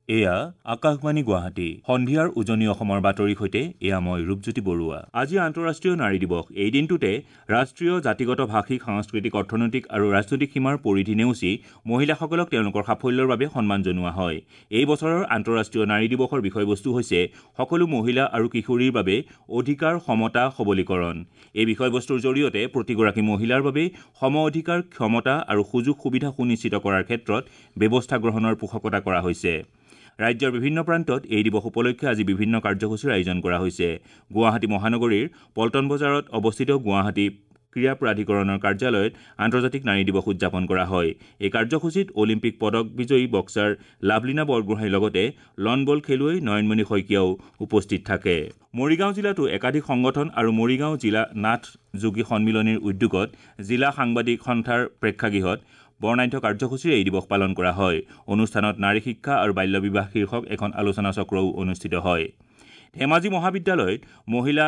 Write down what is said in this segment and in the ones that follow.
এয়া আকাশবাণী গুৱাহাটী। সন্ধিয়াৰ উজনি অসমৰ বাতৰিৰ সৈতে এয়া মই ৰূপজ্যোতি বৰুৱা। আজি আন্তঃৰাষ্ট্ৰীয় নাৰী দিৱস। এই দিনটোতে ৰাষ্ট্ৰীয়, জাতিগত, ভাষিক, সাংস্কৃতিক, অৰ্থনৈতিক আৰু ৰাজনৈতিক সীমাৰ পৰিধি নেওচি মহিলাসকলক তেওঁলোকৰ সাফল্যৰ বাবে সন্মান জনোৱা হয়। এই বছৰৰ আন্তঃৰাষ্ট্ৰীয় নাৰী দিৱসৰ বিষয়বস্তু হৈছে সকলো মহিলা আৰু কিশোৰীৰ বাবে অধিকাৰ, সমতা, সবলীকৰণ। এই বিষয়বস্তুৰ জৰিয়তে প্ৰতিগৰাকী মহিলাৰ বাবে সম অধিকাৰ, ক্ষমতা আৰু সুযোগ সুবিধা সুনিশ্চিত কৰাৰ ক্ষেত্ৰত ব্যৱস্থা গ্ৰহণৰ পোষকতা কৰা হৈছে। ৰাজ্যৰ বিভিন্ন প্ৰান্তত এই দিৱস উপলক্ষে আজি বিভিন্ন কাৰ্যসূচীৰ আয়োজন কৰা হৈছে। গুৱাহাটী মহানগৰীৰ পল্টন বজাৰত অৱস্থিত গুৱাহাটী ক্ৰীড়া প্ৰাধিকৰণৰ কাৰ্যালয়ত আন্তৰ্জাতিক নাৰী দিৱস উদযাপন কৰা হয়। এই কাৰ্যসূচীত অলিম্পিক পদক বিজয়ী বক্সাৰ লাভলীনা বৰগোহাঁইৰ লগতে লন বল খেলুৱৈ নয়নমণি শইকীয়াও উপস্থিত থাকে। মৰিগাঁও জিলাতো একাধিক সংগঠন আৰু মৰিগাঁও জিলা নাথ যোগী সন্মিলনীৰ উদ্যোগত জিলা সাংবাদিক সন্থাৰ প্ৰেক্ষাগৃহত বৰ্ণাঢ্য কাৰ্যসূচীৰে এই দিৱস পালন কৰা হয়। অনুষ্ঠানত নাৰী শিক্ষা আৰু বাল্য বিবাহ শীৰ্ষক এখন আলোচনা চক্ৰও অনুষ্ঠিত হয়। ধেমাজি মহাবিদ্যালয়ত মহিলা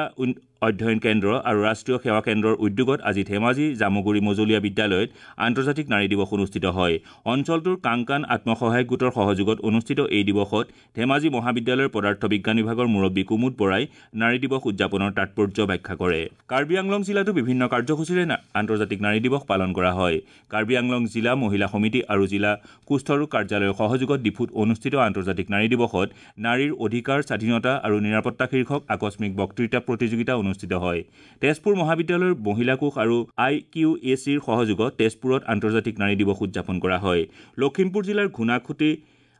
অধ্যয়ন কেন্দ্ৰ আৰু ৰাষ্ট্ৰীয় সেৱা কেন্দ্ৰৰ উদ্যোগত আজি ধেমাজি জামুগুৰি মজলীয়া বিদ্যালয়ত আন্তৰ্জাতিক নাৰী দিৱস অনুষ্ঠিত হয়। অঞ্চলটোৰ কাংকান আত্মসহায়ক গোটৰ সহযোগত অনুষ্ঠিত এই দিৱসত ধেমাজি মহাবিদ্যালয়ৰ পদাৰ্থ বিজ্ঞান বিভাগৰ মুৰব্বী কুমুদ বৰাই নাৰী দিৱস উদযাপনৰ তাৎপৰ্য ব্যাখ্যা কৰে। কাৰ্বি আংলং জিলাতো বিভিন্ন কাৰ্যসূচীৰে আন্তৰ্জাতিক নাৰী দিৱস পালন কৰা হয়। কাৰ্বি আংলং জিলা মহিলা সমিতি আৰু জিলা কুষ্ঠৰোগ কাৰ্যালয়ৰ সহযোগত ডিফুত অনুষ্ঠিত আন্তৰ্জাতিক নাৰী দিৱসত নাৰীৰ অধিকাৰ, স্বাধীনতা আৰু নিৰাপত্তা শীৰ্ষক আকস্মিক বক্তৃতা প্ৰতিযোগিতা অনুষ্ঠিত হয়। তেজপুৰ মহাবিদ্যালয়ৰ মহিলা কোষ আৰু আই কিউ এ চিৰ সহযোগত তেজপুৰত আন্তৰ্জাতিক নাৰী দিৱস উদযাপন কৰা হয়। লখিমপুৰ জিলাৰ ঘূণাখুটি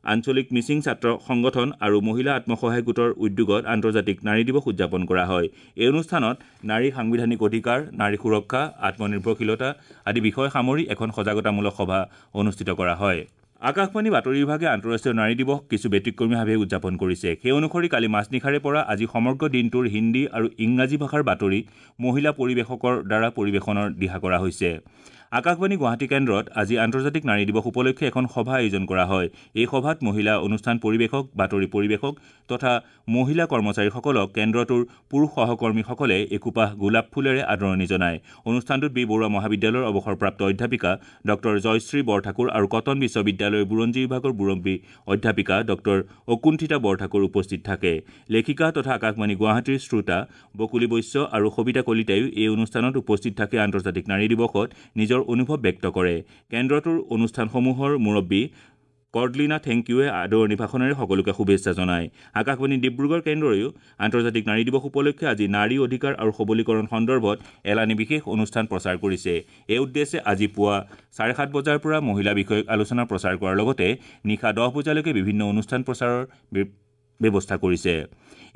আঞ্চলিক মিচিং ছাত্ৰ সংগঠন আৰু মহিলা আত্মসহায়ক গোটৰ উদ্যোগত আন্তৰ্জাতিক নাৰী দিৱস উদযাপন কৰা হয়। এই অনুষ্ঠানত নাৰীৰ সাংবিধানিক অধিকাৰ, নাৰী সুৰক্ষা, আত্মনিৰ্ভৰশীলতা আদি বিষয় সামৰি এখন সজাগতামূলক সভা অনুষ্ঠিত কৰা হয়। আকাশবাণী বাতৰি বিভাগে আন্তঃৰাষ্ট্ৰীয় নাৰী দিৱস কিছু ব্যতিক্ৰমীভাৱে উদযাপন কৰিছে। সেই অনুসৰি কালি মাজনিশাৰে পৰা আজি সমগ্ৰ দিনটোৰ হিন্দী আৰু ইংৰাজী ভাষাৰ বাতৰি মহিলা পৰিৱেশকৰ দ্বাৰা পৰিৱেশনৰ দিহা কৰা হৈছে। আকাশবাণী গুৱাহাটী কেন্দ্ৰত আজি আন্তৰ্জাতিক নাৰী দিৱস উপলক্ষে এখন সভা আয়োজন কৰা হয়। এই সভাত মহিলা অনুষ্ঠান পৰিৱেশক, বাতৰি পৰিৱেশক তথা মহিলা কৰ্মচাৰীসকলক কেন্দ্ৰটোৰ পুৰুষ সহকৰ্মীসকলে একোপাহ গোলাপ ফুলেৰে আদৰণি জনায়। অনুষ্ঠানটোত বি বৰুৱা মহাবিদ্যালয়ৰ অৱসৰপ্ৰাপ্ত অধ্যাপিকা ডক্টৰ জয়শ্ৰী বৰঠাকুৰ আৰু কটন বিশ্ববিদ্যালয়ৰ বুৰঞ্জী বিভাগৰ মুৰব্বী অধ্যাপিকা ডক্টৰ অকুণ্ঠিতা বৰঠাকুৰ উপস্থিত থাকে। লেখিকা তথা আকাশবাণী গুৱাহাটীৰ শ্ৰোতা বকুলী বৈশ্য আৰু সবিতা কলিতায়ো এই অনুষ্ঠানত উপস্থিত থাকি আন্তৰ্জাতিক নাৰী দিৱসত নিজৰ অনুভৱ ব্যক্ত কৰে। কেন্দ্ৰটোৰ অনুষ্ঠানসমূহৰ মুৰব্বী কৰ্ডলিনা থেংকিউৱে আদৰণি ভাষণেৰে সকলোকে শুভেচ্ছা জনায়। আকাশবাণী ডিব্ৰুগড় কেন্দ্ৰয়ো আন্তৰ্জাতিক নাৰী দিৱস উপলক্ষে আজি নাৰী অধিকাৰ আৰু সবলীকৰণ সন্দৰ্ভত এলানি বিশেষ অনুষ্ঠান প্ৰচাৰ কৰিছে। এই উদ্দেশ্যে আজি পুৱা 7:30 বজাৰ পৰা মহিলা বিষয়ক আলোচনা প্ৰচাৰ কৰাৰ লগতে নিশা 10 বজালৈকে বিভিন্ন অনুষ্ঠান প্ৰচাৰৰ ব্যৱস্থা কৰিছে।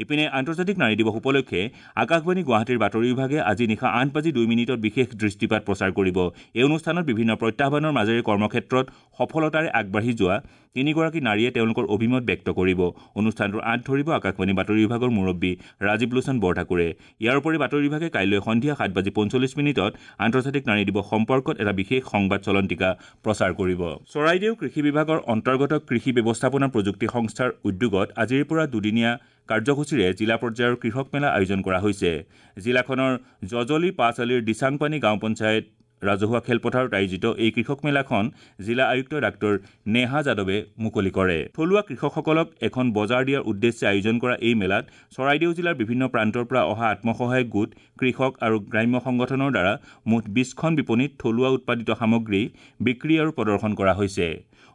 ইপিনে আন্তৰ্জাতিক নাৰী দিৱস উপলক্ষে আকাশবাণী গুৱাহাটীৰ বাতৰি বিভাগে আজি নিশা 8:02 বিশেষ দৃষ্টিপাত প্ৰচাৰ কৰিব। এই অনুষ্ঠানত বিভিন্ন প্ৰত্যাহ্বানৰ মাজেৰে কৰ্মক্ষেত্ৰত সফলতাৰে আগবাঢ়ি যোৱা তিনিগৰাকী নাৰীয়ে তেওঁলোকৰ অভিমত ব্যক্ত কৰিব। অনুষ্ঠানটোৰ আঁত ধৰিব আকাশবাণী বাতৰি বিভাগৰ মুৰব্বী ৰাজীৱ লোচন বৰঠাকুৰে। ইয়াৰ উপৰি বাতৰি বিভাগে কাইলৈ সন্ধিয়া 7:45 আন্তৰ্জাতিক নাৰী দিৱস সম্পৰ্কত এটা বিশেষ সংবাদ চলন্তিকা প্ৰচাৰ কৰিব। চৰাইদেউ কৃষি বিভাগৰ অন্তৰ্গত কৃষি ব্যৱস্থাপনা প্ৰযুক্তি সংস্থাৰ উদ্যোগত আজিৰ পৰা দুদিনীয়া কাৰ্যসূচীৰে জিলা পৰ্যায়ৰ কৃষক মেলা আয়োজন কৰা হৈছে। জিলাখনৰ জজলি পাঁচআলিৰ দিচাংপানী গাঁও পঞ্চায়ত ৰাজহুৱা খেলপথাৰত আয়োজিত এই কৃষক মেলাখন জিলা আয়ুক্ত ডাক্তৰ নেহা যাদৱে মুকলি কৰে। থলুৱা কৃষকসকলক এখন বজাৰ দিয়াৰ উদ্দেশ্যে আয়োজন কৰা এই মেলাত চৰাইদেউ জিলাৰ বিভিন্ন প্ৰান্তৰ পৰা অহা আত্মসহায়ক গোট, কৃষক আৰু গ্ৰাম্য সংগঠনৰ দ্বাৰা মুঠ 20খন বিপণীত থলুৱা উৎপাদিত সামগ্ৰী বিক্ৰী আৰু প্ৰদৰ্শন কৰা হৈছে।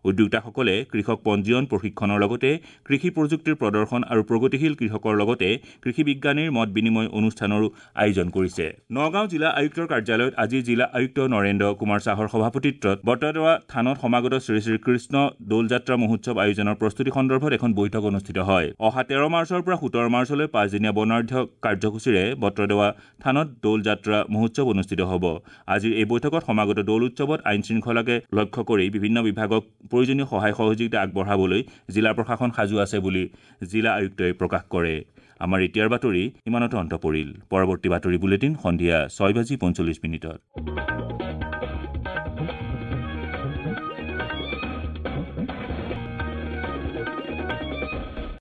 উদ্যোক্তাসকলে কৃষক পঞ্জীয়ন, প্ৰশিক্ষণৰ লগতে কৃষি প্ৰযুক্তিৰ প্ৰদৰ্শন আৰু প্ৰগতিশীল কৃষকৰ লগতে কৃষি বিজ্ঞানীৰ মত বিনিময় অনুষ্ঠানৰো আয়োজন কৰিছে। নগাঁও জিলা আয়ুক্তৰ কাৰ্যালয়ত আজি জিলা আয়ুক্ত নৰেন্দ্ৰ কুমাৰ শ্বাহৰ সভাপতিত্বত বটদ্ৰৱা থানত সমাগত শ্ৰী শ্ৰী কৃষ্ণ দৌলযাত্ৰা মহোৎসৱ আয়োজনৰ প্ৰস্তুতি সন্দৰ্ভত এখন বৈঠক অনুষ্ঠিত হয়। অহা 13 মাৰ্চৰ পৰা 17 মাৰ্চলৈ পাঁচদিনীয়া বৰ্ণাঢ্য কাৰ্যসূচীৰে বটদ্ৰৱা থানত দৌলযাত্ৰা মহোৎসৱ অনুষ্ঠিত হ'ব। আজিৰ এই বৈঠকত সমাগত দৌল উৎসৱত আইন শৃংখলাকে লক্ষ্য কৰি বিভিন্ন বিভাগক প্ৰয়োজনীয় সহায় সহযোগিতা আগবঢ়াবলৈ জিলা প্ৰশাসন সাজু আছে বুলি জিলা আয়ুক্তই প্ৰকাশ কৰে। আমাৰ এতিয়াৰ বাতৰি ইমানতে অন্ত পৰিল। পৰৱৰ্তী বাতৰি বুলেটিন সন্ধিয়া 6:45।